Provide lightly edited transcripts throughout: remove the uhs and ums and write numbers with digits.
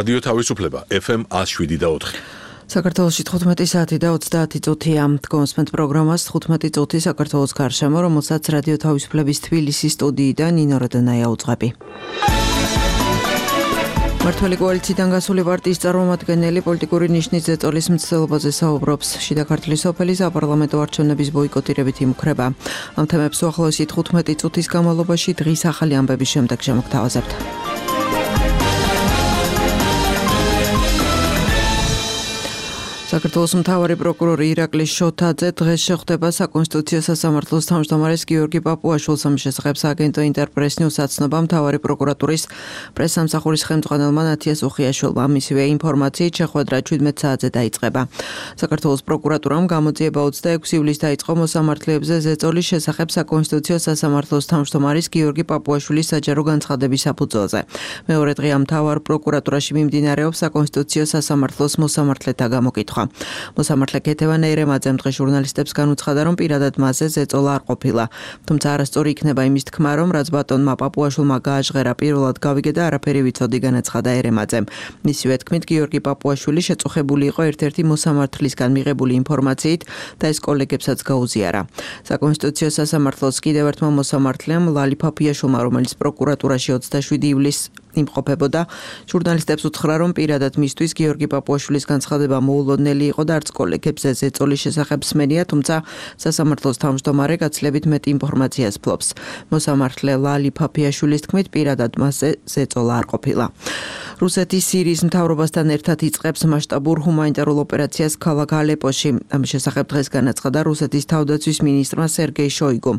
რადიო თავისუფლება FM 107.4. საქართველოში 15 საათი და 30 წუთია. გონსმენთ პროგრამას 15 წუთი საქართველოს გარშემო, რომელსაც რადიო თავისუფლების თბილისის სტუდიიდან ნინო როდანაია უძღვები. მართველი კოალიციიდან გასული პარტიის წარმომადგენელი პოლიტიკური ნიშნის ზეწოლის მცდელობაზე საუბრობს. შიდა ქართლის სოფელი საპარლამენტო არჩევნების ბოიკოტირებით იმუქრება. ამ თემებს უახლოესი 15 წუთის განმავლობაში დღის ახალი ამბების შემდეგ შემოგთავაზებთ. საქართველოს მთავარი პროკურორი ირაკლი შოთაძე დღეს შეხვდება საკონსტიტუციო სასამართლოს თავმჯდომარეს გიორგი პაპუაშვილს. ამ შესახებ სააგენტო ინტერპრეს ნიუს აცნობა მთავარი პროკურატურის პრესსამსახურის ხელმძღვანელმა ნათია სუხიაშვილმა. მისივე ინფორმაციით შეხვედრა 17 საათზე დაიწყება. საქართველოს პროკურატურამ გამოძიება 26 ივლისს დაიწყო მოსამართლეებზე ზეწოლის შესახებ საკონსტიტუციო სასამართლოს თავმჯდომარის გიორგი პაპუაშვილის საჯარო განცხადების საფუძველზე. მეორე დღე ამ მთავარ პროკურატურაში მიმდინარეობს საკონსტიტუციო სასამართლოს მოსამართლეთა გამოკითხვა. მოსამართლე ქეთევან ერემაძემ დღეს ჟურნალისტებს განუცხადა, რომ პირადად მასზე ზეწოლა არ ყოფილა. თუმცა არასწორი იქნება იმის თქმა, რომ რაც ბატონმა პაპუაშვილმა გააჟღერა პირველად გავიგე და არაფერი ვიცოდი, განაცხადა ერემაძემ. მისივე თქმით, გიორგი პაპუაშვილი შეწუხებული იყო ერთ-ერთი მოსამართლისგან მიღებული ინფორმაციით და ეს კოლეგებსაც გაუზიარა. საკონსტიტუციო სასამართლოს კიდევ ერთმა მოსამართლემ ლალი ფაფიაშვილმა, რომელიც პროკურატურაში 27 ივლისს იმყოფებოდა, ჟურნალისტებს უთხრა, რომ პირადად მისთვის გიორგი პაპუაშვილის განცხადება მოულოდნელი იყო და არც კოლეგებზე ზეწოლის შესახებ სმენია, თუმცა სასამართლოს თავმჯდომარე გაცილებით მეტ ინფორმაციას ფლობს. მოსამართლე ლალი ფაფიაშვილის თქმით, პირადად მასზე ზეწოლა არ ყოფილა. რუსეთის სირიის მთავრობასთან ერთად იწყებს მასშტაბურ ჰუმანიტარულ ოპერაციას ქალაქ ალეპოში. ამ შესახებ დღეს განაცხადა რუსეთის თავდაცვის მინისტრმა სერგეი შოიგუმ.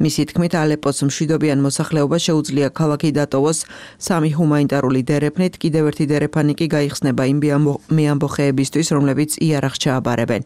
მისი თქმით, ალეპოს მშვიდობიან მოსახლეობა შეუძლია ქალაქი დატოვოს სამი ჰუმანიტარული დერეფნით, კიდევ ერთი დერეფანი კი გაიხსნება იმ მეამბოხეებისთვის, რომლებიც იარაღს ჩააბარებენ.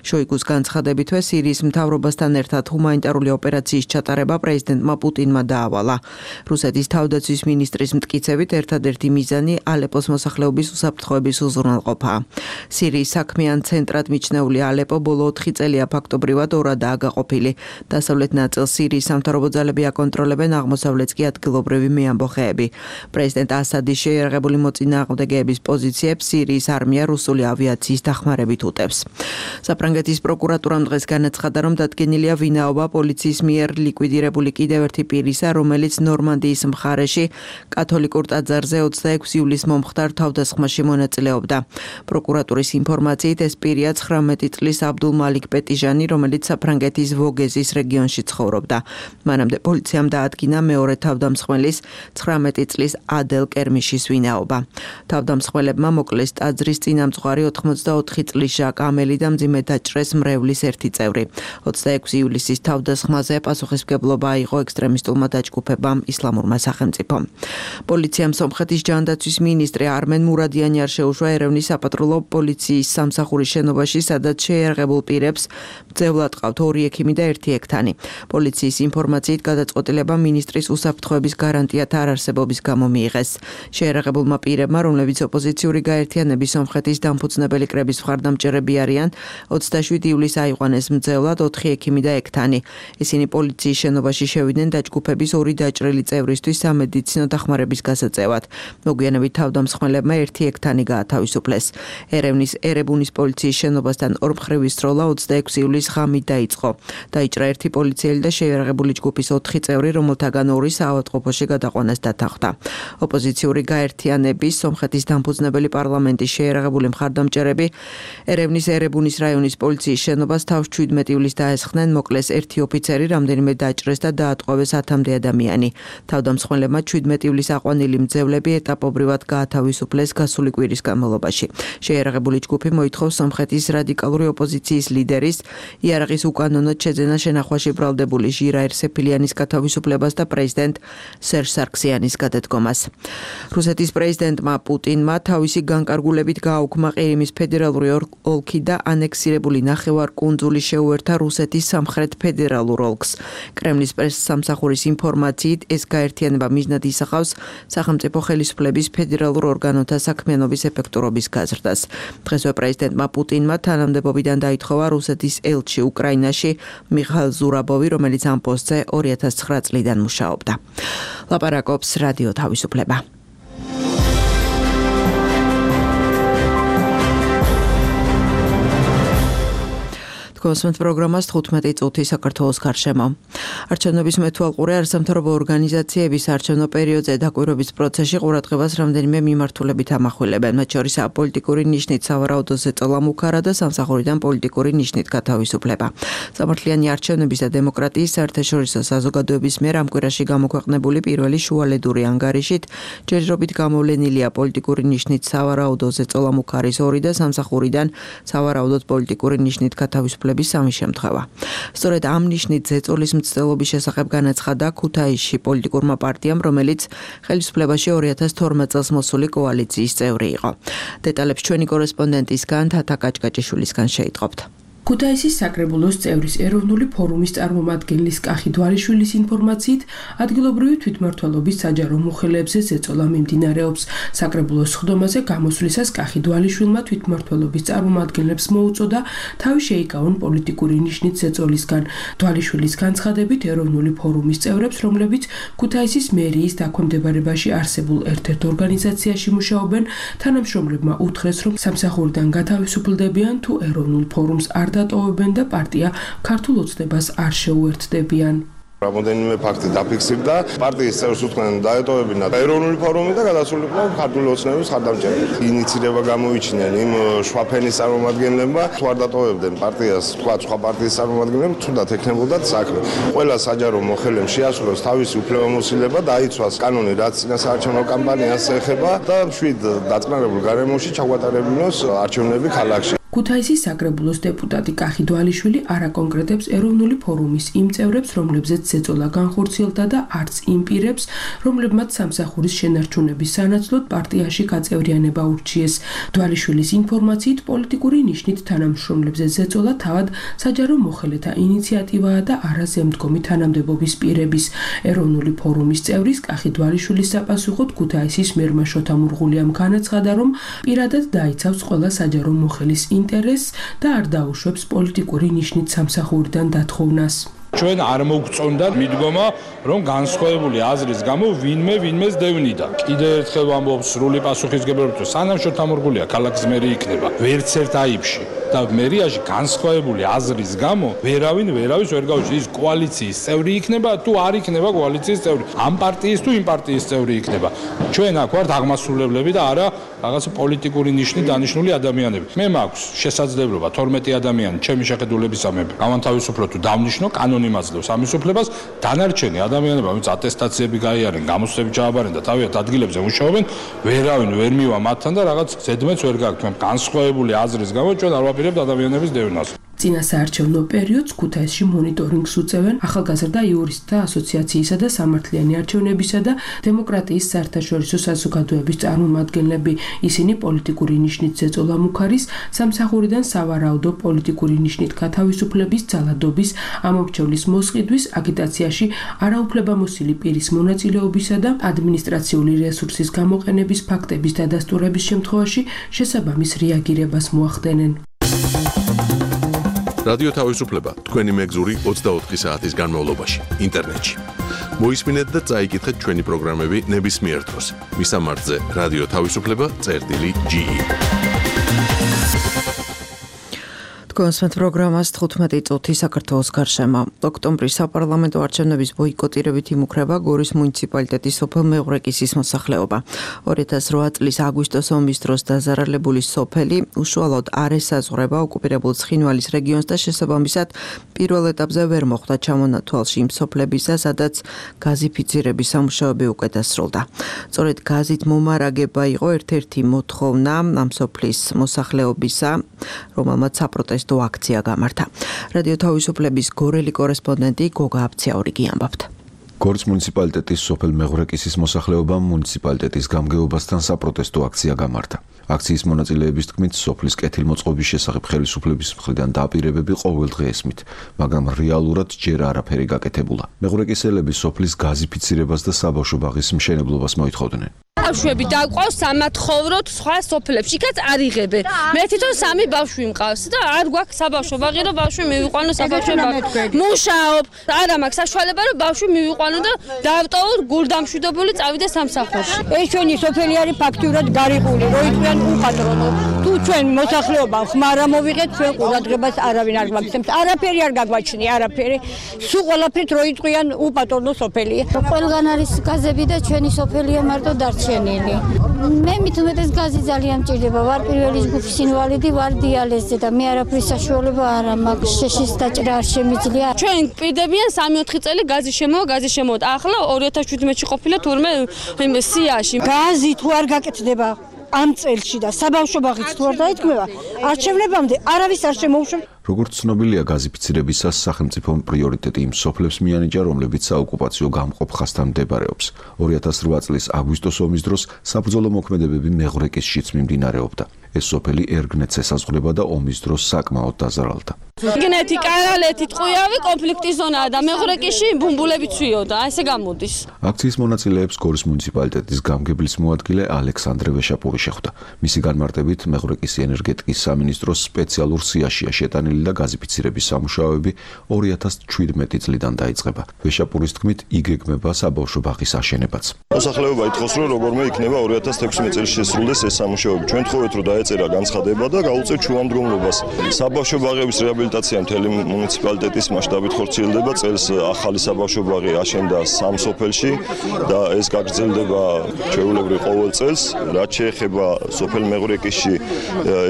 შოიგუს განცხადებითვე სირიის მთავრობასთან ერთად ჰუმანიტარული ოპერაციის ჩატარება პრეზიდენტმა პუტინმა დაავალა. რუსეთის თავდაცვის მინისტრის მტკიცებით, ერთადერთი მიზანი ალეპოს მოსახლეობის უსაფრთხოების უზრუნველყოფაა. სირიის საქმიან ცენტრად მიჩნეული ალეპო ბოლო 4 წელია ფაქტობრივად ორადაა გაყოფილი. დასავლეთ ნაწილს სირიის სამთავრობო ძალები აკონტროლებენ, აღმოსავლეთს კი ადგილობრივი მეამბოხეები. პრეზიდენტ ასადის შეიარაღებული მოწინააღმდეგეების პოზიციებს სირიის არმია რუსული ავიაციის დახმარებით უტევს. საფრანგეთის პროკურატურამ დღეს განაცხადა, რომ დადგენილია ვინაობა პოლიციის მიერ ლიკვიდირებული კიდევ ერთი პირისა, რომელიც ნორმანდიის მხარეში კათოლიკურ ტაძარზე 26 ივლისს მომხდარ თავდასხმაში მონაწილეობდა. პროკურატურის ინფორმაციით ეს პირია 19 წლის აბდულ მალიქ პეტიჟანი, რომელიც საფრანგეთის ვოგეზის რეგიონში ცხოვრობდა. მანამდე პოლიციამ დაადგინა მეორე თავდამსხმელის 19 წლის ადელ კერმიშის ვინაობა. თავდამსხმელებმა მოკლეს ტაძრის წინამძღვარი 84 წლის ჟაკ ამელი და მძიმე დაჭრეს მრევლის ერთი წევრი. 26 ივლისის თავდასხმაზე პასუხისმგებლობა აიღო ექსტრემისტულმა დაჯგუფებამ ისლამურმა სახელმწიფომ. პოლიციამ სომხეთის ჯანდაცვის მინისტრი არმენ მურადიანი არ შეუშვა ერევნის საპატრულო პოლიციის სამსახურის შენობაში, სადაც შეიარაღებულ პირებს მძევლად ყავთ 2 ექიმი და 1 ექთანი. პოლიციის ინფორმაციით გადაწყვეტილება მინისტრის უსაფრთხოების გარანტიათა არარსებობის გამო მიიღეს. შეიარაღებულმა პირებმა, რომლებიც ოპოზიციური გაერთიანების სომხეთის დამფუძნებელი კრების მხარდამჭერები არიან, 27 ივლისს აიყვანეს მძევლად 4 ექიმი და ექთანი. ისინი პოლიციის შენობაში შევიდნენ დაჯგუფების 2 დაჭრილი წევრისთვის სამედიცინო დახმარების გასაწევად. მოგვიანებით თავდამსხმელებმა 1 ექთანი გაათავისუფლეს. ერევნის ერებუნის პოლიციის შენობასთან ორმხრივი სროლა 26 ივლისს ღამით დაიწყო. დაიჭრა 1 პოლიციელი და შეიარაღებული ჯგუფის 4 წევრი, რომელთაგან 2 საავადმყოფოში გადაყვანას დათანხმდა. ოპოზიციური გაერთიანების სომხეთის დამფუძნებელი პარლამენტის შეიარაღებული მხარდამჭერები ერევნის ერებუნის რაიონის პოლიციის შენობას თავს 17 ივლისს დაესხნენ, მოკლეს 1 ოფიცერი, რამდენიმე დაჭრეს და დაატყვევეს 10-მდე ადამიანი. თავდამსხმელებმა 17 ივლისს აყვანილი მძევლები ეტაპობრივად გაათავისუფლეს გასული კვირის განმავლობაში. შეიარაღებული ჯგუფი მოითხოვს სომხეთის რადიკალური ოპოზიციის ლიდერის იარაღის უკანონოდ შეძენა შენახვაში ბრალდებული ჟირა ერსეფილიანის გათავისუფლებას და პრეზიდენტ სერჟ სარქსიანის გადადგომას. რუსეთის პრეზიდენტმა პუტინმა თავისი განკარგულებით გააუქმა ყირიმის ფედერალური ოლქი და ანექსირებული ნახევარკუნძული შეუერთა რუსეთის სამხრეთ ფედერალურ ოლქს. კრემლის პრესსამსახურის ინფორმაციით ეს გაერთიანება მიზნად ისახავს სახელმწიფო ხელისუფლების ფედერალურ ორგანოთა საქმიანობის ეფექტურობის გაზრდას. დღესვე პრეზიდენტმა პუტინმა თანამდებობიდან დაითხოვა რუსეთის ელჩი უკრაინაში მიხაილ ზურაბოვი, რომელიც ამ პოსტზე 2009 წლიდან მუშაობდა. ლაპარაკობს რადიო თავისუფლება. Თქვენს პროგრამას 15 წუთი საქართველოს გარშემო. არჩევნების მეთვალყურე არასამთავრობო ორგანიზაციების არჩევნო პერიოდზე დაკვირვების პროცესში ყურადღებას რამდენიმე მიმართულებით ამახვილებენ. მათ შორის პოლიტიკური ნიშნით სავარაუდო ზეწოლა მუქარა და სამსახურიდან პოლიტიკური ნიშნით გათავისუფლება. სამართლიანი არჩევნების და დემოკრატიის საერთაშორისო საზოგადოების მიერ ამ კვირაში გამოქვეყნებული პირველი შუალედური ანგარიშით ჯერჯერობით გამოვლენილია პოლიტიკური ნიშნით სავარაუდო ზეწოლა მუქარის 2 და სამსახურიდან სავარაუდოდ პოლიტიკური ნიშნით გათავისუფლების 3 შემთხვევა. სწორედ ამ ნიშნით ზეწოლის მცდელობის შესახებ განაცხადა ქუთაისში პოლიტიკურმა პარტიამ, რომელიც ხელისუფლებაში 2012 წელს მოსული კოალიციის წევრი იყო. დეტალებს ჩვენი კორესპონდენტისგან თათა კაჭკაჭიშვილისგან შეიტყობთ. ქუთაისის საკრებულოს წევრის ეროვნული ფორუმის წარმომადგენლის კახი დვალიშვილის ინფორმაციით, ადგილობრივი თვითმმართველობის საჯარო მოხელეებზე ზეწოლა მიმდინარეობს. საკრებულოს სხდომაზე გამოსვლისას კახი დვალიშვილმა თვითმმართველობის წარმომადგენლებს მოუწოდა თავი შეიკავონ პოლიტიკური ნიშნით ზეწოლისგან. დვალიშვილის განცხადებით, ეროვნული ფორუმის წევრებს, რომლებიც ქუთაისის მერიის დაქვემდებარებაში არსებულ ერთ-ერთ ორგანიზაციაში მუშაობენ, თანამშრომლებმა უთხრეს, რომ სამსახურიდან გათავისუფლდებიან თუ ეროვნულ ფორუმს არ დატოვებენ და პარტია ქართულ ოცნებას არ შეუერთდებიან. Რამდენიმე ფაქტი დაფიქსირდა, პარტიის წევრს უთქვნენ დაეტოვებინა ეროვნული ფორუმი და გადასულიყვნენ ქართული ოცნების ხარდამჭერით. ინიციირება გამოიჩინენ იმ შვაფენის წარმომადგენლებმა, თუ არ დატოვებდნენ პარტიას, თქვა სხვა პარტიის წარმომადგენლებს, თუნდაც ექნებოდათ საქმე. ყველა საჯარო მოხელემ შეასრულოს თავისი უფლებამოსილება, დაიცვას კანონი, რაც წინასაარჩევნო კამპანიას ეხება და მშვიდ დაწყნარებულ გარემოში ჩაგვატარებინოს არჩევნები ქალაქში. ქუთაისის საკრებულოს დეპუტატი კახი დვალიშვილი არ აკონკრეტებს ეროვნული ფორუმის იმ წევრებს, რომლებზეც ზეწოლა განხორციელდა და არც იმ პირებს, რომლებმაც სამსახურის შენარჩუნების სანაცვლოდ პარტიაში გაწევრიანება ურჩიეს. დვალიშვილის ინფორმაციით, პოლიტიკური ნიშნით თანამშრომლებზე ზეწოლა თავად საჯარო მოხელეთა ინიციატივაა და არა ზემდგომი თანამდებობის პირების. ეროვნული ფორუმის წევრის კახი დვალიშვილის საპასუხოდ ქუთაისის მერმა შოთა მურღულიამ განაცხადა, რომ პირადად დაიცავს ყველა საჯარო მოხელის ინტერესს და არ დაუშვებს პოლიტიკური ნიშნით სამსახურიდან დათხოვნას. ჩვენ არ მოგწონდა მიდგომა, რომ განსხვავებული აზრის გამო ვინმეს დევნიდა. კიდევ ერთხელ ვამბობ სრული პასუხისგებლობით, სანამ შოთა მურღულია ქალაქის მერი იქნება, ვერც ერთ აიბში და მერიაში განსხვავებული აზრის გამო ვერავის ვერ გაუჩნდა. ის კოალიციის წევრი იქნება თუ არ იქნება კოალიციის წევრი, ამ პარტიის თუ იმ პარტიის წევრი იქნება. ჩვენ აქ ვართ აღმასრულებლები და არა რაღაც პოლიტიკური ნიშნით დანიშნული ადამიანები. მე მაქვს შესაძლებლობა 12 ადამიანი ჩემი შეხედულებისამებრ გამანთავისუფლო თუ დავნიშნო კანონი იმაძლევს ამის უფლებას. დანარჩენი ადამიანები, ვინც ატესტაციები გაიარენ, გამოცდები ჩააბარენ და თავიანთ ადგილებზე მუშაობენ, ვერავინ ვერ მივა მათთან და რაღაც ზედმეტს ვერ გაქვთ. განსხვავებული აზრის გამო ჩვენ არ ვაპირებთ ადამიანების დევნას. წინასაარჩევნო პერიოდს ქუთაისში მონიტორინგს უწევენ ახალგაზრდა იურისტთა ასოციაციისა და სამართლიანი არჩევნებისა და დემოკრატიის საერთაშორისო საზოგადოების წარმომადგენლები. ისინი პოლიტიკური ნიშნით ზეწოლა მუქარის, სამსახურიდან სავარაუდო პოლიტიკური ნიშნით გათავისუფლების, ძალადობის, ამომრჩევლის მოსყიდვის, აგიტაციაში არაუფლებამოსილი პირის მონაწილეობისა და ადმინისტრაციული რესურსის გამოყენების ფაქტების დადასტურების შემთხვევაში შესაბამის რეაგირებას მოახდენენ. რადიო თავისუფლება თქვენი მეგზური 24 საათის განმავლობაში ინტერნეტში. მოისმინეთ და წაიკითხეთ ჩვენი პროგრამები ნებისმიერ დროს. მისამართზე რადიო თავისუფლება.ge. თქვენს პროგრამას 15 წუთი საქართველოს გარშემო. ოქტომბრის საპარლამენტო არჩევნების ბოიკოტირებით იმუქრება გორის მუნიციპალიტეტის სოფელ მეღვრეკისის მოსახლეობა. 2008 წლის აგვისტოს ომის დროს დაზარალებული სოფელი უშუალოდ არ ესაზღვრება ოკუპირებულ ცხინვალის რეგიონს და შესაბამისად პირველ ეტაპზე ვერ მოხვდა ჩამონათვალში იმ სოფლებისა, სადაც გაზიფიცირების სამუშაოები უკვე დასრულდა. სწორედ გაზით მომარაგება იყო ერთ-ერთი მოთხოვნა ამ სოფლის მოსახლეობისა, რომელმაც საპროტესტო აქცია გამართა. რადიო თავისუფლების გორელი კორესპონდენტი გოგა აბციაურიგი ამბობთ. გორის მუნიციპალიტეტის სოფელ მეღვრეკისის მოსახლეობამ მუნიციპალიტეტის გამგეობასთან საპროტესტო აქცია გამართა. აქციის მონაწილეების თქმით, სოფლის კეთილმოწყობის შესახებ ხელისუფლების მხრიდან დაპირებები ყოველ დღე ესმით, მაგრამ რეალურად ჯერ არაფერი გაკეთებულა. მეღვრეკისელები სოფლის გაზიფიცირებას და საბავშვო ბაღის მშენებლობას მოითხოვდნენ. ბავშვები დაყვავს სამათხოვროთ სხვა სოფლებში, იქაც არ იღებენ. მე თვითონ 3 ბავშვი მყავს და არ გვაქვს საბავშვო ბაღი, რომ ბავშვი მივიყვანო საბავშვო ბაღში. მუშაობ, არა მაქვს საშუალება, რომ ბავშვი მივიყვანო და დავტოვოთ გულდამშვიდობული წავიდე სამსახურში. ეს ჩვენი სოფელი არის ფაქტურად გარიყული, რო იყვიან უხატრო. თუ ჩვენ მოსახლეობა ხმარ ამოვიღეთ, ჩვენ ყურადღებას არავინ არ გვაქცევს. არაფერი არ გაგვაჩნია, არაფერი. სულ ყველაფრით რო იწყიან უპატრონო სოფელია. ყველგან არის გაზები და ჩვენი სოფელია მარტო დარჩენილი. მე მithumetes გაზი ძალიან მჭირდება. ვარ პირველი ჯგუფის ინვალიდი, ვარ დიალიზზე და მე არაფრის საშუალება არ მაქვს. შეშის დაჭრა არ შემიძლია. ჩვენ პირდებიან 3-4 წელი გაზი შემოვთ. ახლა 2017-ში ყოფილა თურმე იმ სიაში. გაზი თუ არ გაკეთდება ამ წელში და საბავშვო ბაღიც თუ არ დაიქმება, არჩევნებამდე არავის არ შემოუშვებს. როგორც ცნობილია, გაზიფიცირებისას სახელმწიფომ პრიორიტეტი იმ სოფლებს მიანიჭა, რომლებიც საოკუპაციო გამყოფ ხაზთან მდებარეობს. 2008 წლის აგვისტოს ომის დროს საბრძოლო მოქმედებები მეღრეკისშიც მიმდინარეობდა. ეს სოფელი ერგნეთს ესაზღვრება და ომის დროს საკმაოდ დაზარალდა. იგნეთი, კარალეთი, ტყუიავი კონფლიქტის ზონაა და მეღრეკისში ბუმბულები ცვიოდა, ესე გამოდის. აქციის მონაწილეებს გორის მუნიციპალიტეტის გამგებლის მოადგილე ალექსანდრე ვეშაპური შეხვდა. მისი განმარტებით, მეღრეკის ენერგეტიკის სამინისტროს სპეციალურ სიაშია შეტანილი და გაზიფიცირების სამუშაოები 2017 წლიდან დაიწყება. ვეშაპურის თქმით, იგეგმება საბავშვო ბაღის აშენებაც. მოსახლეობა ითხოვს, რომ როგორმე იქნება 2016 წელს შესრულდეს ეს სამუშაოები. ჩვენ თხოვეთ, რომ დაეწერა განცხადება და გაუწევთ შუამდგომლობას. საბავშვო ბაღების რეაბილიტაცია მთელი მუნიციპალიტეტის მასშტაბით ხორციელდება. წელს ახალი საბავშვო ბაღი აშენდა 3 სოფელში და ეს გაგრძელდება ჩვეულებრივ ყოველ წელს. რაც შეეხება სოფელ მეღრეკისში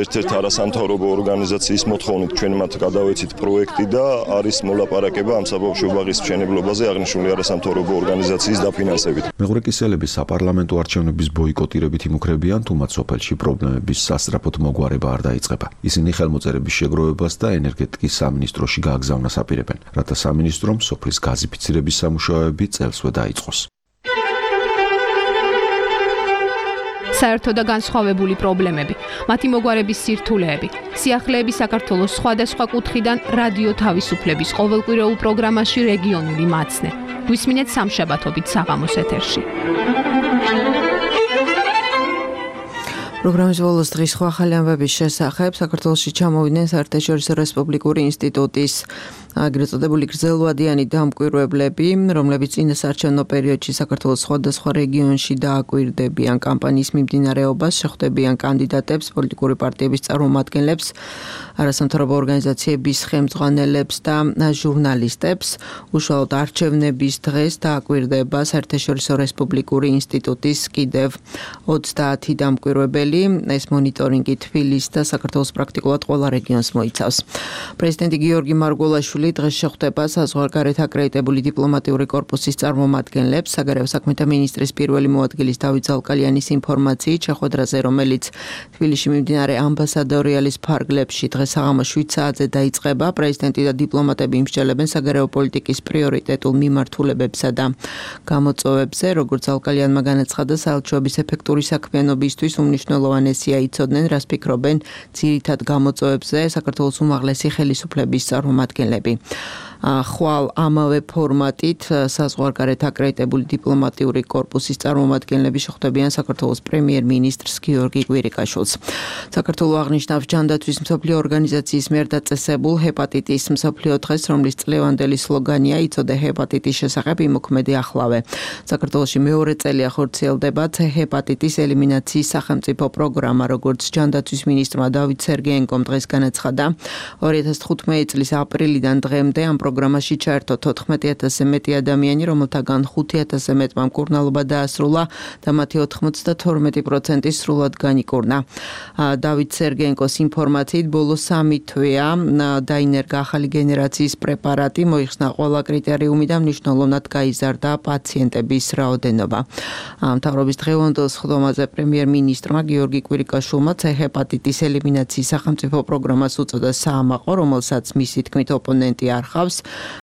ერთ-ერთ არასამთავრობო ორგანიზაციის მოთხოვნით ჩვენ მათ გადავეცით პროექტი და არის მოლაპარაკება ამ საბავშვო ბაღის მშენებლობაზე აღნიშნული არასამთავრობო ორგანიზაციის დაფინანსებით. მეღრეკისელები საპარლამენტო არჩევნების ბოიკოტირებით იმუქრებიან, თუმცა სოფელში პრობლემების სასწრაფოდ მოგვარება არ დაიწყება. ისინი ხელმოწერების შეგროვებას და ენერგეტიკის სამინისტროში გააგზავნას აპირებენ, რათა სამინისტრომ სოფლის გაზიფიცირების სამუშაოები წელსვე დაიწყოს. საერთო და განსხვავებული პრობლემები, მათი მოგვარების სირთულეები, სიახლეები საქართველოს სხვადასხვა კუთხიდან რადიო თავისუფლების ყოველკვირეულ პროგრამაში რეგიონული მაცნე. გვისმინეთ სამშაბათობით საღამოს ეთერში. პროგრამის ბოლოს დღის სხვა ახალი ამბების შესახებ საქართველოში ჩამოვიდნენ საერთაშორისო რესპუბლიკური ინსტიტუტის აგრეთ წოდებული გრძელვადიანი დამკვირვებლები, რომლებიც წინასაარჩევნო პერიოდში საქართველოს სხვადასხვა რეგიონში დააკვირდებიან კამპანიის მიმდინარეობას, შეხვდებიან კანდიდატებს, პოლიტიკური პარტიების წარმომადგენლებს, არასამთავრობო ორგანიზაციების ხელმძღვანელებს და ჟურნალისტებს. უშუალოდ არჩევნების დღეს დააკვირდება საერთაშორისო რესპუბლიკური ინსტიტუტის კიდევ 30 დამკვირვებელი. ეს მონიტორინგი თბილისს და საქართველოს პრაქტიკულად ყველა რეგიონს მოიცავს. პრეზიდენტი გიორგი მარგველაშვილი დღეს შეხვდება საზღვარგარეთ აკრედიტებული დიპლომატიური კორპუსის წარმომადგენლებს. საგარეო საქმეთა მინისტრის პირველი მოადგილის დავით ზალკალიანის ინფორმაციით, შეხვედრაზე, რომელიც თბილისში მიმდინარე ამბასადორიალის ფარგლებში დღეს საღამოს 7 საათზე დაიწყება, პრეზიდენტი და დიპლომატები იმსჯელებენ საგარეო პოლიტიკის პრიორიტეტულ მიმართულებებსა და გამოწვევებზე. როგორც ზალკალიანმა განაცხადა, საელჩოების ეფექტური საქმიანობისთვის უმნიშვნელოვანესია იცოდნენ, რას ფიქრობენ ძირითად გამოწვევებზე საქართველოს უმაღლესი ხელისუფლების წარმომადგენლები. ხვალ ამავე ფორმატით საზღვარგარეთ აკრედიტებული დიპლომატიური კორპუსის წარმომადგენლები შეხვდებიან საქართველოს პრემიერ-მინისტრს გიორგი კვირიკაშვილს. საქართველოს აღნიშნავს ჯანდაცვის მსოფლიო ორგანიზაციის მიერ დაწესებულ ჰეპატიტის მსოფლიო დღეს, რომლის წლევანდელი სლოგანია „იცოდე ჰეპატიტის შესახებ, იმოქმედე ახლავე“. საქართველოში მეორე წელია ხორციელდება ჰეპატიტის ელიმინაციის სახელმწიფო პროგრამა, როგორც ჯანდაცვის მინისტრმა დავით სერგეენკომ დღეს განაცხადა. 2015 წლის აპრილიდან დღემდე ამ პროგრამაში ჩაერთო 14,000-ზე მეტი ადამიანი, რომელთაგან 5,000-ზე მეტმა მკურნალობა დაასრულა და მათი 92% სრულად განიკურნა. დავით სერგენკოს ინფორმაციით, ბოლო 3 თვეა დაინერგა ახალი გენერაციის პრეპარატი, მოიხსნა ყველა კრიტერიუმი და მნიშვნელოვნად გაიზარდა პაციენტების რაოდენობა. მთავრობის დღევანდელ სხდომაზე პრემიერ-მინისტრმა გიორგი კვირიკაშვილმა ჰეპატიტის ელიმინაციის სახელმწიფო პროგრამას უწოდა საამაყო, რომელსაც მისი თქმით ოპონენტი არ ხავს.